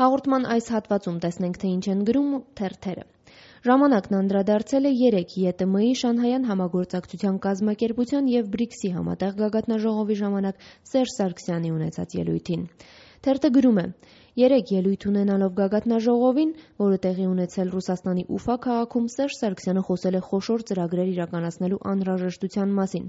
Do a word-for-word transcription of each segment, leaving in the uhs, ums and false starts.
Հաղորդման այս հատվածում տեսնենք, թե ինչ են գրում թերթերը։ Ժամանակն անդրադարձել է երեկ ԵՏՄ-ի Շանհայյան համագործակցության կազմակերպության և բրիքսի համատեղ գագաթնաժողովի ժամանակ Սերժ Սարգսյանի ունեցած ելույթին։ Թերթը գրում է. Երեկ ելույթ ունենալով գագաթնաժողովին, որը տեղի ունեցել Ռուսաստանի Ուֆա քաղաքում, Սերժ Սարգսյանը խոսել է խոշոր ծրագրեր իրականացնելու անհրաժեշտության մասին,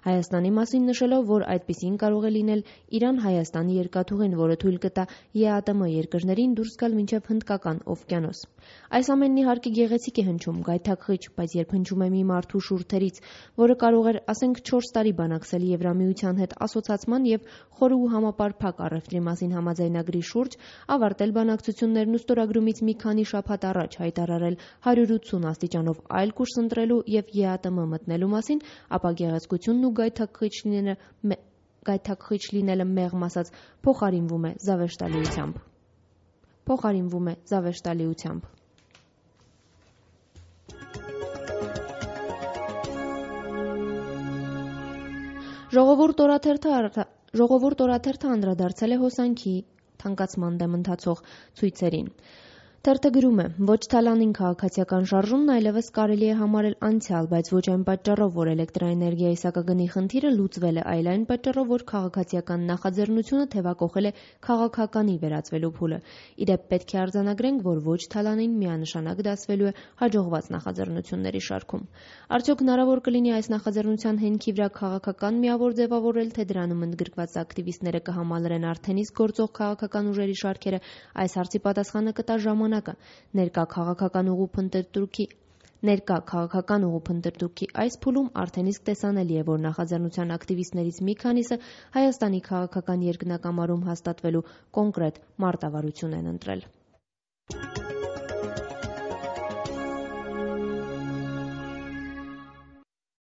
Հայաստանի մասին նշելով, որ այդպիսին կարող է լինել Իրան-Հայաստանի երկաթուղին, որը թույլ կտա ԵԱՏՄ երկրներին դուրս գալ մինչև Հնդկական օվկիանոս։ Այս ամենն իհարկե գեղեցիկ է հնչում, գայթակղիչ, բայց երբ հնչում է մի մարդու շուրթերից, որը կարող էր, ասենք, չորս տարի բանակցել Եվրամիության հետ ասոցացման և խորը ու համապարփակ առևտրի մասին համաձայնագրի շուրջ, ավարտել բանակցություններն ու ստորագրումից մի քանի շաբաթ առաջ հայտարարել հարյուր ութսուն աստիճանով այլ կուրս ընտրելու և ԵԱՏՄ մտնելու մասին, ապա գեղեցկությունն ու գայթակղիչ լինելը մեղմ ասած փոխարինվում է զավեշտալիությամբ։ Փոխարինվում է զավեշտալիությամբ։ Ժողովուրդ օրաթերթը անդրադարձել է հոսանքի թանկացման դեմ ընթացող ցույցերին։ Թերթը գրում է. ոչ թալանին քաղաքացիական շարժումն այլևս կարելի է համարել անցյալ, բայց ոչ այն պատճառով, որ էլեկտրաէներգիայի սակագնի խնդիրը լուծվել է, այլ այն պատճառով, որ քաղաքացիական նախաձեռնությունը թևակոխել է քաղաքականի վերածվելու փուլը։ Իդեպ պետք է արձանագրենք, որ ոչ թալանին միանշանակ դասվելու է հաջողված նախաձեռնությունների շարքում։ Արդյոք հնարավոր կլինի այս նախաձեռնության հենքի վրա քաղաքական միավոր ձևավորել, թե դրանում ընդգրկված ակտիվիստները կհամալրեն արդեն իսկ գործող քաղաքական ուժերի շարքերը, այս հարցի պատասխանը կտա ժամանակը։ Ներկա քաղաքական ուղու փնտրտուքի Ներկա քաղաքական ուղու փնտրտուքի այս փուլում արդեն իսկ տեսանելի է, որ նախաձեռնության ակտիվիստներից մի քանիսը Հայաստանի քաղաքական երկնակամարում հաստատվելու կոնկրետ մարտավարություն են ընտրել։